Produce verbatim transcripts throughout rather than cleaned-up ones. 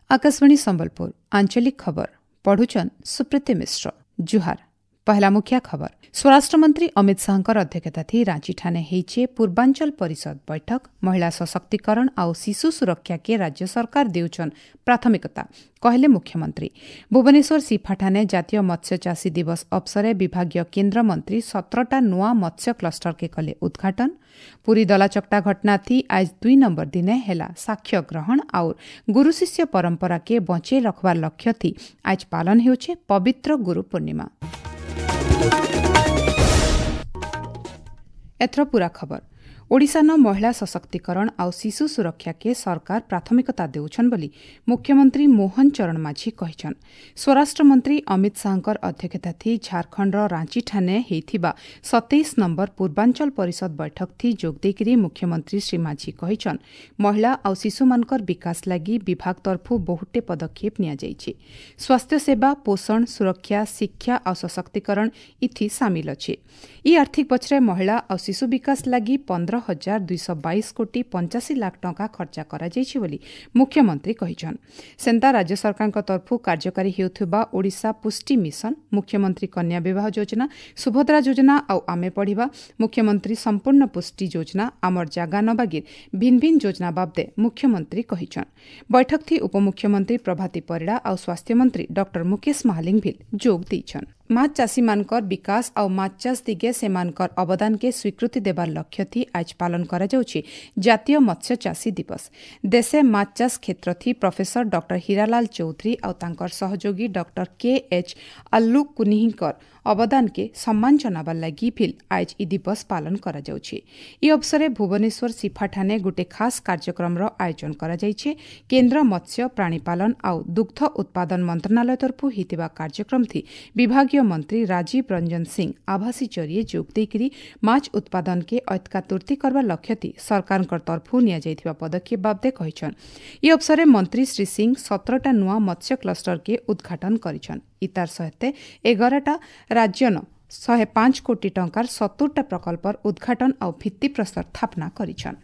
आकाशवाणी संबलपुर आंचलिक खबर पढ़ुचन सुप्रीति मिश्र। जुहार। पहला मुख्य खबर। स्वराष्ट्र मंत्री अमित शाहଙ୍କର ଅଧ୍ୟକ୍ଷତା ଥି ରାଞ୍ଚି ଠାନେ ହେଇଛେ ପୂର୍ବାଞ୍ଚଳ ପରିଷଦ ବୈଠକ। ମହିଳା ସଶକ୍ତିକରଣ ଆଉ ଶିଶୁ ସୁରକ୍ଷା କେ ରାଜ୍ୟ ସରକାର ଦେଉଛନ୍ ପ୍ରାଥମିକତା କହିଲେ ମୁଖ୍ୟମନ୍ତ୍ରୀ। ଭୁବନେଶ୍ୱର ସିଫାଠାନେ ଜାତୀୟ ମତ୍ସ୍ୟ ଚାଷୀ ଦିବସ ଅବସରେ ବିଭାଗୀୟ କେନ୍ଦ୍ରମନ୍ତ୍ରୀ ସତରଟା ନୂଆ ମତ୍ସ୍ୟ କ୍ଲଷ୍ଟର କେ କଲେ ଉଦ୍ଘାଟନ। ପୁରୀ ଦଲାଚକଟା ଘଟଣା ଥି ଆଜ ଦୁଇ ନମ୍ବର ଦିନେ ହେଲା ସାକ୍ଷ୍ୟ ଗ୍ରହଣ ଆଉ ଗୁରୁ ଶିଷ୍ୟ ପରମ୍ପରା କେ ବଞ୍ଚେଇ ରଖବାର ଲକ୍ଷ୍ୟ ଥି ଆଜ ପାଳନ ହେଉଛେ ପବିତ୍ର ଗୁରୁ ପୂର୍ଣ୍ଣିମା। ଏଥର ପୂରା ଖବର। ଓଡ଼ିଶାନ ମହିଳା ସଶକ୍ତିକରଣ ଆଉ ଶିଶୁ ସୁରକ୍ଷାକେ ସରକାର ପ୍ରାଥମିକତା ଦେଉଛନ୍ ବୋଲି ମୁଖ୍ୟମନ୍ତ୍ରୀ ମୋହନ ଚରଣ ମାଝୀ କହିଛନ୍। ସ୍ୱରାଷ୍ଟ୍ର ମନ୍ତ୍ରୀ ଅମିତ ଶାହଙ୍କର ଅଧ୍ୟକ୍ଷତା ଥି ଝାରଖଣ୍ଡର ରାଞ୍ଚିଠାନେ ହେଇଥିବା ସତେଇଶ ନମ୍ବର ପୂର୍ବାଞ୍ଚଳ ପରିଷଦ ବୈଠକ ଥି ଯୋଗ ଦେଇକରି ମୁଖ୍ୟମନ୍ତ୍ରୀ ଶ୍ରୀ ମାଝୀ କହିଛନ୍, ମହିଳା ଆଉ ଶିଶୁମାନଙ୍କର ବିକାଶ ଲାଗି ବିଭାଗ ତରଫୁ ବହୁଟେ ପଦକ୍ଷେପ ନିଆଯାଇଛି। ସ୍ୱାସ୍ଥ୍ୟସେବା, ପୋଷଣ, ସୁରକ୍ଷା, ଶିକ୍ଷା ଆଉ ସଶକ୍ତିକରଣ ଇଥି ସାମିଲ ଅଛି। ଇ ଆର୍ଥିକ ବଛରେ ମହିଳା ଆଉ ଶିଶୁ ବିକାଶ ଲାଗି ପନ୍ଦର ହଜାର ଦୁଇଶହ ବାଇଶ କୋଟି ପଞ୍ଚାଅଶୀ ଲାଖ ଟଙ୍କା ଖର୍ଚ୍ଚ କରାଯାଇଛି ବୋଲି ମୁଖ୍ୟମନ୍ତ୍ରୀ କହିଛନ୍। ସେନ୍ତା ରାଜ୍ୟ ସରକାରଙ୍କ ତରଫରୁ କାର୍ଯ୍ୟକାରୀ ହେଉଥିବା ଓଡ଼ିଶା ପୁଷ୍ଟି ମିଶନ, ମୁଖ୍ୟମନ୍ତ୍ରୀ କନ୍ୟା ବିବାହ ଯୋଜନା, ସୁଭଦ୍ରା ଯୋଜନା ଆଉ ଆମେ ପଢ଼ିବା, ମୁଖ୍ୟମନ୍ତ୍ରୀ ସମ୍ପୂର୍ଣ୍ଣ ପୁଷ୍ଟି ଯୋଜନା, ଆମର ଜାଗା ନବାଗିର ଭିନ୍ ଭିନ୍ ଯୋଜନା ବାବଦେ ମୁଖ୍ୟମନ୍ତ୍ରୀ କହିଛନ୍। ବୈଠକ ଥି ଉପମୁଖ୍ୟମନ୍ତ୍ରୀ ପ୍ରଭାତୀ ପରିଡ଼ା ଆଉ ସ୍ୱାସ୍ଥ୍ୟମନ୍ତ୍ରୀ ଡକ୍ଟର ମୁକେଶ ମହାଲିଙ୍ଗ ଭିଲ୍ ଯୋଗ ଦେଇଛନ୍। ମାଛ ଚାଷୀମାନଙ୍କର ବିକାଶ ଆଉ ମାଛ ଚାଷ ଦିଗେ ସେମାନଙ୍କର ଅବଦାନକେ ସ୍ୱୀକୃତି ଦେବାର ଲକ୍ଷ୍ୟ ଥି ଆଜ ପାଳନ କରାଯାଉଛି ଜାତୀୟ ମତ୍ସ୍ୟ ଚାଷୀ ଦିବସ। ଦେଶେ ମାଛ ଚାଷ କ୍ଷେତ୍ର ଥି ପ୍ରଫେସର ଡକ୍ଟର ହୀରାଲାଲ ଚୌଧୁରୀ ଆଉ ତାଙ୍କର ସହଯୋଗୀ ଡକ୍ଟର କେ ଏଚ୍ ଆଲ୍ଲୁ କୁନିହିଙ୍କର ଅବଦାନକେ ସମ୍ମାନ ଜଣାବାର ଲାଗି ଭିଲ୍ ଆଜ ଇ ଦିବସ ପାଳନ କରାଯାଉଛି। ଇ ଅବସରେ ଭୁବନେଶ୍ୱର ସିଫାଠାନେ ଗୋଟେ ଖାସ୍ କାର୍ଯ୍ୟକ୍ରମର ଆୟୋଜନ କରାଯାଇଛି। କେନ୍ଦ୍ର ମତ୍ସ୍ୟ, ପ୍ରାଣୀପାଳନ ଆଉ ଦୁଗ୍ଧ ଉତ୍ପାଦନ ମନ୍ତ୍ରଣାଳୟ ତରଫରୁ ହେଇଥିବା କାର୍ଯ୍ୟକ୍ରମ ଥି ବିଭାଗୀୟ ମନ୍ତ୍ରୀ ରାଜୀବ ରଞ୍ଜନ ସିଂ ଆଭାସୀ ଜରିଏ ଯୋଗ ଦେଇକରି ମାଛ ଉତ୍ପାଦନକେ ଐତକା ତୁର୍ତି କରବାର ଲକ୍ଷ୍ୟ ଥି ସରକାରଙ୍କ ତରଫରୁ ନିଆଯାଇଥିବା ପଦକ୍ଷେପ ବାବଦେ କହିଛନ୍। ଇ ଅବସରେ ମନ୍ତ୍ରୀ ଶ୍ରୀ ସିଂ ସତରଟା ନୂଆ ମତ୍ସ୍ୟ କ୍ଲଷ୍ଟରକେ ଉଦ୍ଘାଟନ କରିଛନ୍। ଇତାର ସହିତ ଏଗାରଟା ରାଜ୍ୟନ ଶହେ ପାଞ୍ଚ କୋଟି ଟଙ୍କାର ସତୁରଟା ପ୍ରକଳ୍ପର ଉଦ୍ଘାଟନ ଆଉ ଭିତ୍ତିପ୍ରସ୍ତର ସ୍ଥାପନା କରିଛନ୍।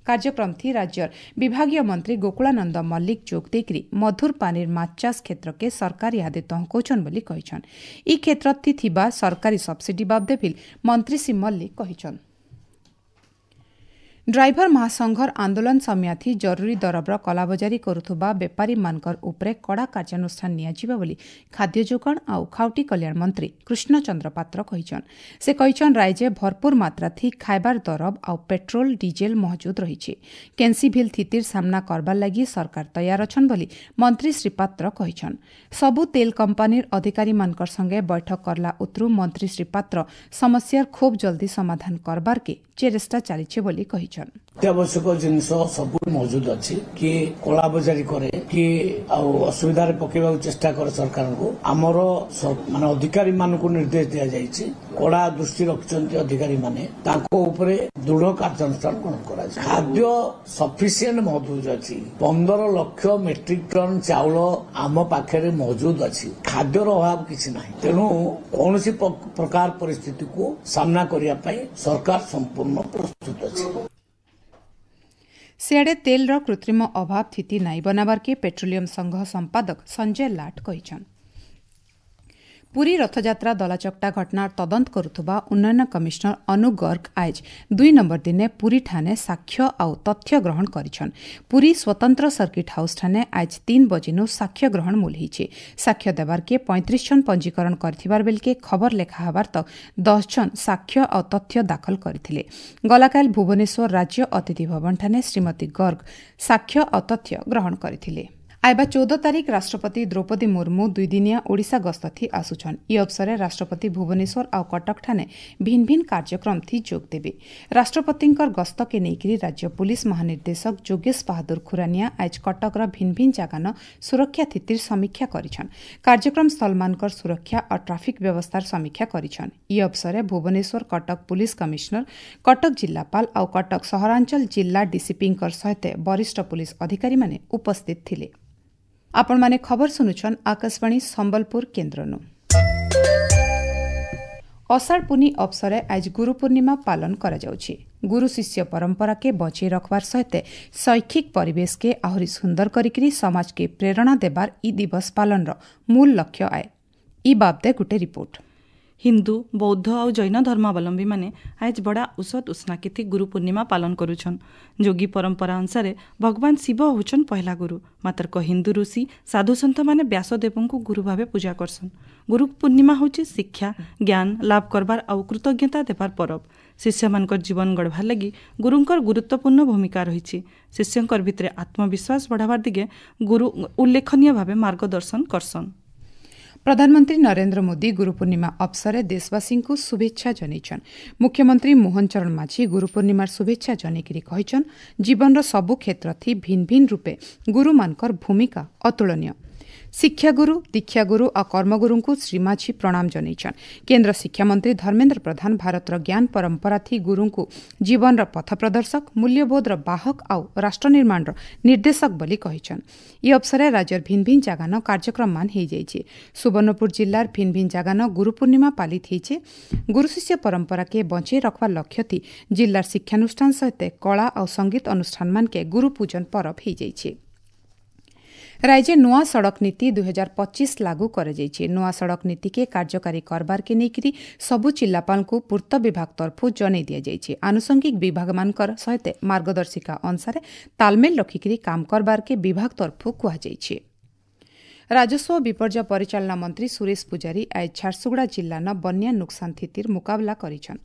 କାର୍ଯ୍ୟକ୍ରମ ଥି ରାଜ୍ୟର ବିଭାଗୀୟ ମନ୍ତ୍ରୀ ଗୋକୁଳାନନ୍ଦ ମଲ୍ଲିକ ଯୋଗ ଦେଇକରି ମଧୁର ପାନିର ମାଛ ଚାଷ କ୍ଷେତ୍ରକେ ସରକାର ଇହାଦେ ତହକଉଛନ୍ ବୋଲି କହିଛନ୍। ଇ କ୍ଷେତ୍ର ଥି ଥିବା ସରକାରୀ ସବସିଡି ବାବଦେ ଭିଲ୍ ମନ୍ତ୍ରୀ ଶ୍ରୀ ମଲ୍ଲିକ କହିଛନ୍। ଡ୍ରାଇଭର ମହାସଂଘର ଆନ୍ଦୋଳନ ସମୟାଥି ଜରୁରୀ ଦରବର କଲାବଜାରୀ କରୁଥିବା ବେପାରୀମାନଙ୍କର ଉପରେ କଡ଼ା କାର୍ଯ୍ୟାନୁଷ୍ଠାନ ନିଆଯିବ ବୋଲି ଖାଦ୍ୟ ଯୋଗାଣ ଆଉ ଖାଉଟି କଲ୍ୟାଣ ମନ୍ତ୍ରୀ କୃଷ୍ଣଚନ୍ଦ୍ର ପାତ୍ର କହିଛନ୍। ସେ କହିଛନ୍, ରାଜ୍ୟ ଭରପୁର ମାତ୍ରା ଥି ଖାଇବାର ଦରବ ଆଉ ପେଟ୍ରୋଲ ଡିଜେଲ ମହଜୁଦ ରହିଛି। କେନ୍ସି ଭିଲ୍ ସ୍ଥିତିର ସାମ୍ନା କରବାର ଲାଗି ସରକାର ତୈୟାର ଅଛନ୍ ବୋଲି ମନ୍ତ୍ରୀ ଶ୍ରୀ ପାତ୍ର କହିଛନ୍। ସବୁ ତେଲ କମ୍ପାନୀର ଅଧିକାରୀମାନଙ୍କର ସଙ୍ଗେ ବୈଠକ କରଲା ଉତରୁ ମନ୍ତ୍ରୀ ଶ୍ରୀ ପାତ୍ର ସମସ୍ୟାର ଖୁବ୍ ଜଲ୍ଦି ସମାଧାନ କରବାରକେ ଚେଷ୍ଟା ଚାଲିছে ବୋଲି କହିଛନ୍। ଅତ୍ୟାବଶ୍ୟକ ଜିନିଷ ସବୁ ମହଜୁଦ ଅଛି। କିଏ କଳାବଜାରୀ କରେ, କିଏ ଆଉ ଅସୁବିଧାରେ ପକେଇବାକୁ ଚେଷ୍ଟା କରେ ସରକାରଙ୍କୁ। ଆମର ମାନେ ଅଧିକାରୀ ମାନଙ୍କୁ ନିର୍ଦ୍ଦେଶ ଦିଆଯାଇଛି, କଡା ଦୃଷ୍ଟି ରଖିଛନ୍ତି ଅଧିକାରୀ ମାନେ, ତାଙ୍କ ଉପରେ ଦୃଢ କାର୍ଯ୍ୟାନୁଷ୍ଠାନ ଗ୍ରହଣ କରାଯିବ। ଖାଦ୍ୟ ସଫିସିଏଣ୍ଟ ମହଜୁଦ ଅଛି। ପନ୍ଦର ଲକ୍ଷ ମେଟ୍ରିକ ଟନ ଚାଉଳ ଆମ ପାଖରେ ମହଜୁଦ ଅଛି। ଖାଦ୍ୟର ଅଭାବ କିଛି ନାହିଁ। ତେଣୁ କୌଣସି ପ୍ରକାର ପରିସ୍ଥିତିକୁ ସାମ୍ନା କରିବା ପାଇଁ ସରକାର ସମ୍ପୂର୍ଣ୍ଣ ପ୍ରସ୍ତୁତ ଅଛି। ସିଆଡ଼େ ତେଲର କୃତ୍ରିମ ଅଭାବ ସ୍ଥିତି ନାଇଁ ବନାବାରକେ ପେଟ୍ରୋଲିୟମ ସଂଘ ସମ୍ପାଦକ ସଞ୍ଜୟ ଲାଟ କହିଛନ୍। ପୁରୀ ରଥଯାତ୍ରା ଦଲାଚକଟା ଘଟଣାର ତଦନ୍ତ କରୁଥିବା ଉନ୍ନୟନ କମିଶନର ଅନୁ ଗର୍ଗ ଆଜ ଦୁଇ ନମ୍ବର ଦିନେ ପୁରୀଠାନେ ସାକ୍ଷ୍ୟ ଆଉ ତଥ୍ୟ ଗ୍ରହଣ କରିଛନ୍। ପୁରୀ ସ୍ୱତନ୍ତ୍ର ସର୍କିଟ୍ ହାଉସ୍ଠାନେ ଆଜ ତିନ୍ ବଜିନୁ ସାକ୍ଷ୍ୟ ଗ୍ରହଣ ମୂଲ ହେଇଛେ। ସାକ୍ଷ୍ୟ ଦେବାରକେ ପଇଁତିରିଶ ଜଣ ପଞ୍ଜୀକରଣ କରିଥିବାର ବେଲକେ ଖବର ଲେଖା ହେବାର ତକ୍ ଦଶ ଜଣ ସାକ୍ଷ୍ୟ ଆଉ ତଥ୍ୟ ଦାଖଲ କରିଥିଲେ। ଗଲାକାଲ ଭୁବନେଶ୍ୱର ରାଜ୍ୟ ଅତିଥି ଭବନଠାନେ ଶ୍ରୀମତୀ ଗର୍ଗ ସାକ୍ଷ୍ୟ ଆଉ ତଥ୍ୟ ଗ୍ରହଣ କରିଥିଲେ। ଆଇବା ଚଉଦ ତାରିଖ ରାଷ୍ଟ୍ରପତି ଦ୍ରୌପଦୀ ମୁର୍ମୁ ଦୁଇଦିନିଆ ଓଡ଼ିଶା ଗସ୍ତ ଥି ଆସୁଛନ୍। ଇ ଅବସରେ ରାଷ୍ଟ୍ରପତି ଭୁବନେଶ୍ୱର ଆଉ କଟକଠାନେ ଭିନ୍ ଭିନ୍ କାର୍ଯ୍ୟକ୍ରମ ଥି ଯୋଗ ଦେବେ। ରାଷ୍ଟ୍ରପତିଙ୍କର ଗସ୍ତକେ ନେଇକରି ରାଜ୍ୟ ପୁଲିସ ମହାନିର୍ଦ୍ଦେଶକ ଯୋଗେଶ ବାହାଦୁର ଖୁରାନିଆ ଆଜ କଟକର ଭିନ୍ ଭିନ୍ ଜାଗାନ ସୁରକ୍ଷା ସ୍ଥିତିର ସମୀକ୍ଷା କରିଛନ୍। କାର୍ଯ୍ୟକ୍ରମ ସ୍ଥଳମାନଙ୍କର ସୁରକ୍ଷା ଆଉ ଟ୍ରାଫିକ୍ ବ୍ୟବସ୍ଥାର ସମୀକ୍ଷା କରିଛନ୍। ଇ ଅବସରେ ଭୁବନେଶ୍ୱର କଟକ ପୁଲିସ କମିଶନର, କଟକ ଜିଲ୍ଲାପାଳ ଆଉ କଟକ ସହରାଞ୍ଚଳ ଜିଲ୍ଲା ଡିସିପିଙ୍କର ସହିତ ବରିଷ୍ଠ ପୁଲିସ ଅଧିକାରୀମାନେ ଉପସ୍ଥିତ ଥିଲେ। ଆପଣମାନେ ଖବର ଶୁଣୁଛନ୍ ଆକାଶବାଣୀ ସମ୍ବଲପୁର କେନ୍ଦ୍ରନୁ। ଅଷାଢ଼ ପୁନି ଅବସରେ ଆଜ ଗୁରୁ ପୂର୍ଣ୍ଣିମା ପାଳନ କରାଯାଉଛି। ଗୁରୁ ଶିଷ୍ୟ ପରମ୍ପରାକେ ବଞ୍ଚେଇ ରଖବାର ସହିତ ଶୈକ୍ଷିକ ପରିବେଶକେ ଆହୁରି ସୁନ୍ଦର କରିକିରି ସମାଜକେ ପ୍ରେରଣା ଦେବାର ଇ ଦିବସ ପାଳନର ମୂଳ ଲକ୍ଷ୍ୟ ଆଏ। ଇ ବାବଦେ ଗୋଟେ ରିପୋର୍ଟ। ହିନ୍ଦୁ, ବୌଦ୍ଧ ଆଉ ଜୈନ ଧର୍ମାବଲମ୍ବୀମାନେ ଆଏଜ୍ ବଡ଼ା ଉସତ୍ ଉସ୍ନାକିଥି ଗୁରୁ ପୂର୍ଣ୍ଣିମା ପାଳନ କରୁଛନ୍। ଯୋଗୀ ପରମ୍ପରା ଅନୁସାରେ ଭଗବାନ ଶିବ ହେଉଛନ୍ ପହେଲା ଗୁରୁ। ମାତ୍ର ହିନ୍ଦୁ ଋଷି ସାଧୁସନ୍ଥମାନେ ବ୍ୟାସଦେବଙ୍କୁ ଗୁରୁ ଭାବେ ପୂଜା କରସନ୍। ଗୁରୁ ପୂର୍ଣ୍ଣିମା ହେଉଛି ଶିକ୍ଷା, ଜ୍ଞାନ ଲାଭ କରବାର ଆଉ କୃତଜ୍ଞତା ଦେବାର ପରବ। ଶିଷ୍ୟମାନଙ୍କର ଜୀବନ ଗଢ଼ବାର୍ ଲାଗି ଗୁରୁଙ୍କର ଗୁରୁତ୍ୱପୂର୍ଣ୍ଣ ଭୂମିକା ରହିଛି। ଶିଷ୍ୟଙ୍କର ଭିତରେ ଆତ୍ମବିଶ୍ୱାସ ବଢ଼ାବାର ଦିଗେ ଗୁରୁ ଉଲ୍ଲେଖନୀୟ ଭାବେ ମାର୍ଗଦର୍ଶନ କରସନ୍। ପ୍ରଧାନମନ୍ତ୍ରୀ ନରେନ୍ଦ୍ର ମୋଦି ଗୁରୁପୂର୍ଣ୍ଣିମା ଅବସରରେ ଦେଶବାସୀଙ୍କୁ ଶୁଭେଚ୍ଛା ଜଣାଇଛନ୍। ମୁଖ୍ୟମନ୍ତ୍ରୀ ମୋହନ ଚରଣ ମାଝୀ ଗୁରୁପୂର୍ଣ୍ଣିମାର ଶୁଭେଚ୍ଛା ଜଣାଇକରି କହିଛନ୍, ଜୀବନର ସବୁ କ୍ଷେତ୍ରଥି ଭିନ୍ନ ଭିନ୍ନ ରୂପେ ଗୁରୁମାନଙ୍କର ଭୂମିକା ଅତୁଳନୀୟ। ଶିକ୍ଷାଗୁରୁ, ଦୀକ୍ଷାଗୁରୁ ଆଉ କର୍ମଗୁରୁଙ୍କୁ ଶ୍ରୀ ମାଝୀ ପ୍ରଣାମ ଜଣାଇଛନ୍। କେନ୍ଦ୍ର ଶିକ୍ଷାମନ୍ତ୍ରୀ ଧର୍ମେନ୍ଦ୍ର ପ୍ରଧାନ ଭାରତର ଜ୍ଞାନ ପରମ୍ପରା ଥି ଗୁରୁଙ୍କୁ ଜୀବନର ପଥ ପ୍ରଦର୍ଶକ, ମୂଲ୍ୟବୋଧର ବାହକ ଆଉ ରାଷ୍ଟ୍ର ନିର୍ମାଣର ନିର୍ଦ୍ଦେଶକ ବୋଲି କହିଛନ୍। ଇ ଅବସରରେ ରାଜ୍ୟର ଭିନ୍ନ ଭିନ୍ନ ଜାଗାନ କାର୍ଯ୍ୟକ୍ରମମାନ ହେଇଯାଇଛି। ସୁବର୍ଣ୍ଣପୁର ଜିଲ୍ଲାର ଭିନ୍ନ ଭିନ୍ନ ଜାଗାନ ଗୁରୁପୂର୍ଣ୍ଣିମା ପାଳିତ ହେଇଛେ। ଗୁରୁ ଶିଷ୍ୟ ପରମ୍ପରାକେ ବଞ୍ଚେଇ ରଖବାର ଲକ୍ଷ୍ୟ ଥି ଜିଲ୍ଲାର ଶିକ୍ଷାନୁଷ୍ଠାନ ସହିତ କଳା ଆଉ ସଙ୍ଗୀତ ଅନୁଷ୍ଠାନମାନକେ ଗୁରୁପୂଜନ ପରବ ହେଇଯାଇଛି। ରାଜ୍ୟ ନୂଆ ସଡ଼କ ନୀତି ଦୁଇ ହଜାର ପଚିଶ ଲାଗୁ କରାଯାଇଛି। ନୂଆ ସଡ଼କ ନୀତିକେ କାର୍ଯ୍ୟକାରୀ କରବାରକେ ନେଇକରି ସବୁ ଜିଲ୍ଲାପାଳଙ୍କୁ ପୂର୍ତ୍ତ ବିଭାଗ ତରଫରୁ ଜଣାଇ ଦିଆଯାଇଛି। ଆନୁଷଙ୍ଗିକ ବିଭାଗମାନଙ୍କର ସହିତ ମାର୍ଗଦର୍ଶିକା ଅନୁସାରେ ତାଲମେଲ ରଖିକରି କାମ କରବାରକେ ବିଭାଗ ତରଫରୁ କୁହାଯାଇଛି। ରାଜସ୍ୱ ବିପର୍ଯ୍ୟୟ ପରିଚାଳନା ମନ୍ତ୍ରୀ ସୁରେଶ ପୂଜାରୀ ଆজ ଝାରସୁଗୁଡ଼ା ଜିଲ୍ଲାର ବନ୍ୟା ନୁକସାନ ସ୍ଥିତିର ମୁକାବିଲା କରିଛନ୍।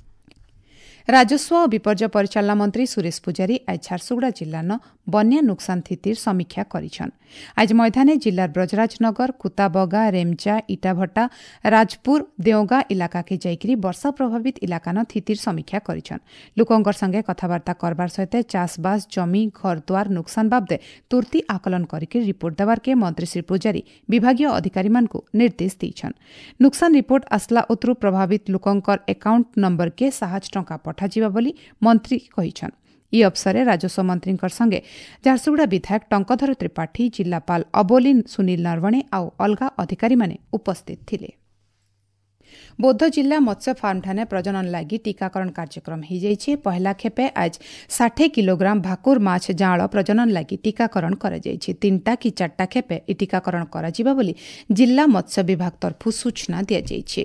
ରାଜସ୍ୱ ଓ ବିପର୍ଯ୍ୟୟ ପରିଚାଳନା ମନ୍ତ୍ରୀ ସୁରେଶ ପୂଜାରୀ ଆଜ ଝାରସୁଗୁଡ଼ା ଜିଲ୍ଲାର ବନ୍ୟା ନୁକସାନ ସ୍ଥିତିର ସମୀକ୍ଷା କରିଛନ୍। ଆଜ ମୈଦାନେ ଜିଲ୍ଲାର ବ୍ରଜରାଜନଗର, କୁତାବଗା, ରେମଚା, ଇଟାଭଟା, ରାଜପୁର, ଦେଓଗାଁ ଇଲାକାକେ ଯାଇକରି ବର୍ଷା ପ୍ରଭାବିତ ଇଲାକାନ ସ୍ଥିତିର ସମୀକ୍ଷା କରିଛନ୍। ଲୋକଙ୍କର ସଙ୍ଗେ କଥାବାର୍ତ୍ତା କରବାର ସହିତ ଚାଷବାସ, ଜମି, ଘରଦ୍ୱାର ନୁକସାନ ବାବଦେ ତୁର୍ତି ଆକଳନ କରିକି ରିପୋର୍ଟ ଦେବାର୍କେ ମନ୍ତ୍ରୀ ଶ୍ରୀ ପୂଜାରୀ ବିଭାଗୀୟ ଅଧିକାରୀମାନଙ୍କୁ ନିର୍ଦ୍ଦେଶ ଦେଇଛନ୍। ନୁକସାନ ରିପୋର୍ଟ ଆସିଲା ଉତରୁ ପ୍ରଭାବିତ ଲୋକଙ୍କର ଆକାଉଣ୍ଟ ନମ୍ବରକେ ସାହାଯ୍ୟ ଟଙ୍କା ପଠାଯିବା ବୋଲି ମନ୍ତ୍ରୀ କହିଛନ୍। ଇ ଅବସରରେ ରାଜସ୍ୱ ମନ୍ତ୍ରୀଙ୍କ ସଙ୍ଗେ ଝାରସୁଗୁଡ଼ା ବିଧାୟକ ଟଙ୍କଧର ତ୍ରିପାଠୀ, ଜିଲ୍ଲାପାଳ ଅବୋଲି ସୁନୀଲ ନରବଣେ ଆଉ ଅଲଗା ଅଧିକାରୀମାନେ ଉପସ୍ଥିତ ଥିଲେ। ବୌଦ୍ଧ ଜିଲ୍ଲା ମତ୍ସ୍ୟ ଫାର୍ମଠାନେ ପ୍ରଜନନ ଲାଗି ଟିକାକରଣ କାର୍ଯ୍ୟକ୍ରମ ହୋଇଯାଇଛି। ପହିଲା ଖେପେ ଆଜ ଷାଠିଏ କିଲୋଗ୍ରାମ ଭାକୁର ମାଛ ଜାଁଳ ପ୍ରଜନନ ଲାଗି ଟିକାକରଣ କରାଯାଇଛି। ତିନିଟା କି ଚାରିଟା ଖେପେ ଏ ଟିକାକରଣ କରାଯିବ ବୋଲି ଜିଲ୍ଲା ମତ୍ସ୍ୟ ବିଭାଗ ତରଫରୁ ସୂଚନା ଦିଆଯାଇଛି।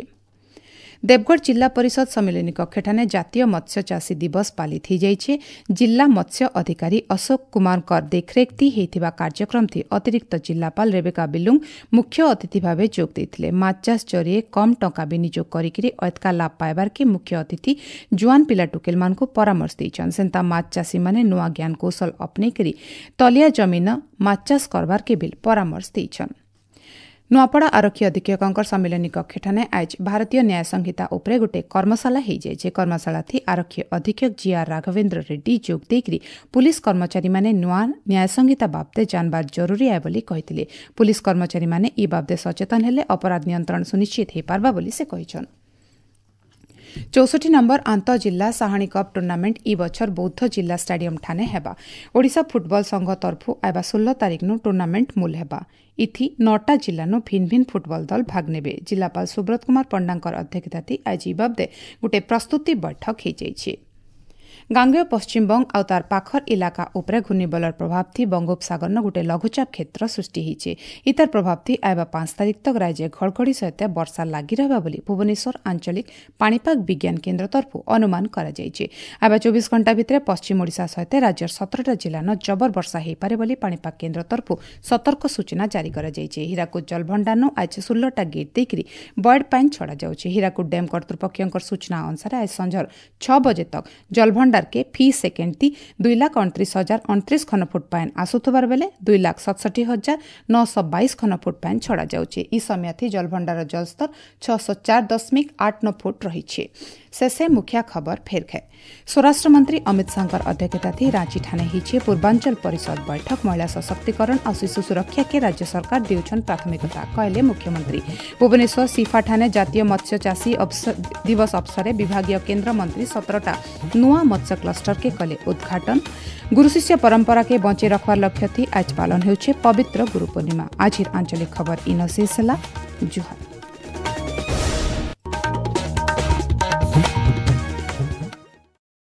ଦେବଗଡ଼ ଜିଲ୍ଲା ପରିଷଦ ସମ୍ମିଳନୀ କକ୍ଷଠାନେ ଜାତୀୟ ମତ୍ସ୍ୟ ଚାଷୀ ଦିବସ ପାଳିତ ହୋଇଯାଇଛି। ଜିଲ୍ଲା ମତ୍ସ୍ୟ ଅଧିକାରୀ ଅଶୋକ କୁମାରଙ୍କ ଦେଖରେଖ ହୋଇଥିବା କାର୍ଯ୍ୟକ୍ରମଥି ଅତିରିକ୍ତ ଜିଲ୍ଲାପାଳ ରେବେକା ବିଲୁଙ୍ଗ ମୁଖ୍ୟ ଅତିଥି ଭାବେ ଯୋଗ ଦେଇଥିଲେ। ମାଛ ଚାଷ ଜରିଏ କମ୍ ଟଙ୍କା ବିନିଯୋଗ କରିକିରି ଅଧିକା ଲାଭ ପାଇବାର୍କେ ମୁଖ୍ୟ ଅତିଥି ଜୁଆନ ପିଲା ଟୁକେଲମାନଙ୍କୁ ପରାମର୍ଶ ଦେଇଛନ୍। ସେନ୍ତା ମାଛ ଚାଷୀମାନେ ନୂଆ ଜ୍ଞାନକୌଶଳ ଅପନେଇକରି ତଲିଆ ଜମିନ ମାଛ ଚାଷ କରବାର୍କେ ବିଲ୍ ପରାମର୍ଶ ଦେଇଛନ୍। ନୂଆପଡ଼ା ଆରକ୍ଷୀ ଅଧୀକ୍ଷକଙ୍କ ସମ୍ମିଳନୀ କକ୍ଷଠାନେ ଆଜ ଭାରତୀୟ ନ୍ୟାୟ ସଂହିତା ଉପରେ ଗୋଟିଏ କର୍ମଶାଳା ହୋଇଯାଇଛି। କର୍ମଶାଳାଥି ଆରକ୍ଷୀ ଅଧୀକ୍ଷକ ଜିଆର୍ ରାଘବେନ୍ଦ୍ର ରେଡ୍ଡି ଯୋଗ ଦେଇକରି ପୁଲିସ୍ କର୍ମଚାରୀମାନେ ନୂଆ ନ୍ୟାୟ ସଂହିତା ବାବଦେ ଜାଣିବାର ଜରୁରୀ ଆଏ ବୋଲି କହିଥିଲେ। ପୁଲିସ୍ କର୍ମଚାରୀମାନେ ଇ ବାବଦେ ସଚେତନ ହେଲେ ଅପରାଧ ନିୟନ୍ତ୍ରଣ ସୁନିଶ୍ଚିତ ହୋଇପାରବା ବୋଲି ସେ କହିଛନ୍। ଚଉଷଠି ନମ୍ବର ଆନ୍ତଃ ଜିଲ୍ଲା ସାହାଣୀ କପ୍ ଟୁର୍ଣ୍ଣାମେଣ୍ଟ ଇ ବଛର ବୌଦ୍ଧ ଜିଲ୍ଲା ଷ୍ଟାଡିୟମ ଠାନେ ହେବା। ଓଡ଼ିଶା ଫୁଟବଲ ସଂଘ ତରଫରୁ ଆଇବା ଷୋହଳ ତାରିଖନୁ ଟୁର୍ଣ୍ଣାମେଣ୍ଟ ମୂଲ ହେବା। ଇଥି ନଅଟା ଜିଲ୍ଲାନୁ ଭିନ୍ନ ଭିନ୍ନ ଫୁଟବଲ ଦଳ ଭାଗ ନେବେ। ଜିଲ୍ଲାପାଳ ସୁବ୍ରତ କୁମାର ପଣ୍ଡାଙ୍କର ଅଧ୍ୟକ୍ଷତାଥି ଆଜି ଇ ବାବଦେ ଗୋଟିଏ ପ୍ରସ୍ତୁତି ବୈଠକ ହୋଇଯାଇଛି। ଗାଙ୍ଗେୟ ପଶ୍ଚିମବଙ୍ଗ ଆଉ ତାର ପାଖର ଇଲାକା ଉପରେ ଘୂର୍ଣ୍ଣିବଳର ପ୍ରଭାବ ଥି ବଙ୍ଗୋପସାଗରନ ଗୋଟେ ଲଘୁଚାପ କ୍ଷେତ୍ର ସୃଷ୍ଟି ହୋଇଛି। ଇତାର ପ୍ରଭାବ ଥି ଆଇବା ପାଞ୍ଚ ତାରିଖ ତକ ରାଜ୍ୟ ଘଡ଼ଘଡ଼ି ସହିତ ବର୍ଷା ଲାଗି ରହିବା ବୋଲି ଭୁବନେଶ୍ୱର ଆଞ୍ଚଳିକ ପାଣିପାଗ ବିଜ୍ଞାନ କେନ୍ଦ୍ର ତରଫରୁ ଅନୁମାନ କରାଯାଇଛି। ଆଇବା ଚବିଶ ଘଣ୍ଟା ଭିତରେ ପଶ୍ଚିମ ଓଡ଼ିଶା ସହିତ ରାଜ୍ୟର ସତରଟା ଜିଲ୍ଲାନ ଜବର ବର୍ଷା ହୋଇପାରେ ବୋଲି ପାଣିପାଗ କେନ୍ଦ୍ର ତରଫରୁ ସତର୍କ ସୂଚନା ଜାରି କରାଯାଇଛି। ହୀରାକୁଦ ଜଳଭଣ୍ଡାରନୁ ଆଜି ଷୋହଳଟା ଗେଟ୍ ଦେଇକରି ବଏଡ୍ ପାଣି ଛଡ଼ାଯାଉଛି। ହୀରାକୁଦ ଡ୍ୟାମ୍ କର୍ତ୍ତୃପକ୍ଷଙ୍କ ସୂଚନା ଅନୁସାରେ ଆଜି ସଞ୍ଜର ଛଅ ବଜେ ତକ ଜଳଭଣ୍ଡାର କେ ଫି ସେକେଣ୍ଡ ତି ଦୁଇ ଲାଖ ଅଣତିରିଶ ହଜାର ଅଣତିରିଶ ଘନଫୁଟ ପାଣି ଆସୁଥିବାର ବେଲେ ଦୁଇ ଲାଖ ସତଷଠି ହଜାର ନଅଶହ ବାଇଶ ଘନଫୁଟ ପାଣି ଛଡ଼ାଯାଉଛି। ଇ ସମୟଥି ଜଳଭଣ୍ଡାର ଜଳସ୍ତର ଛଅଶହ ଚାରି ଦଶମିକ ଆଠ ନଅ ଫୁଟ ରହିଛି। ଶେଷେ ମୁଖ୍ୟ ଖବର ଫେର ଖାଏ। ସ୍ୱରାଷ୍ଟ୍ର ମନ୍ତ୍ରୀ ଅମିତ ଶାହଙ୍କର ଅଧ୍ୟକ୍ଷତାଥି ରାଞ୍ଚି ଠାନେ ହେଇଛି ପୂର୍ବାଞ୍ଚଳ ପରିଷଦ ବୈଠକ। ମହିଳା ସଶକ୍ତିକରଣ ଆଉ ଶିଶୁ ସୁରକ୍ଷାକେ ରାଜ୍ୟ ସରକାର ଦେଉଛନ୍ ପ୍ରାଥମିକତା, କହିଲେ ମୁଖ୍ୟମନ୍ତ୍ରୀ। ଭୁବନେଶ୍ୱର ସିଫା ଠାନେ ଜାତୀୟ ମତ୍ସ୍ୟ ଚାଷୀ ଦିବସ ଅବସରରେ ବିଭାଗୀୟ କେନ୍ଦ୍ରମନ୍ତ୍ରୀ ସତରଟା ନୂଆ ମତ୍ସ୍ୟ କ୍ଲଷ୍ଟରକେ କଲେ ଉଦ୍ଘାଟନ। ଗୁରୁ ଶିଷ୍ୟ ପରମ୍ପରାକେ ବଞ୍ଚେଇ ରଖବାର ଲକ୍ଷ୍ୟ ଥି ଆଜ ପାଳନ ହେଉଛି ପବିତ୍ର ଗୁରୁ ପୂର୍ଣ୍ଣିମା। ଆଜିର ଆଞ୍ଚଳିକ ଖବର ଇନ ଶେଷ ହେଲା। ଜୁହାର।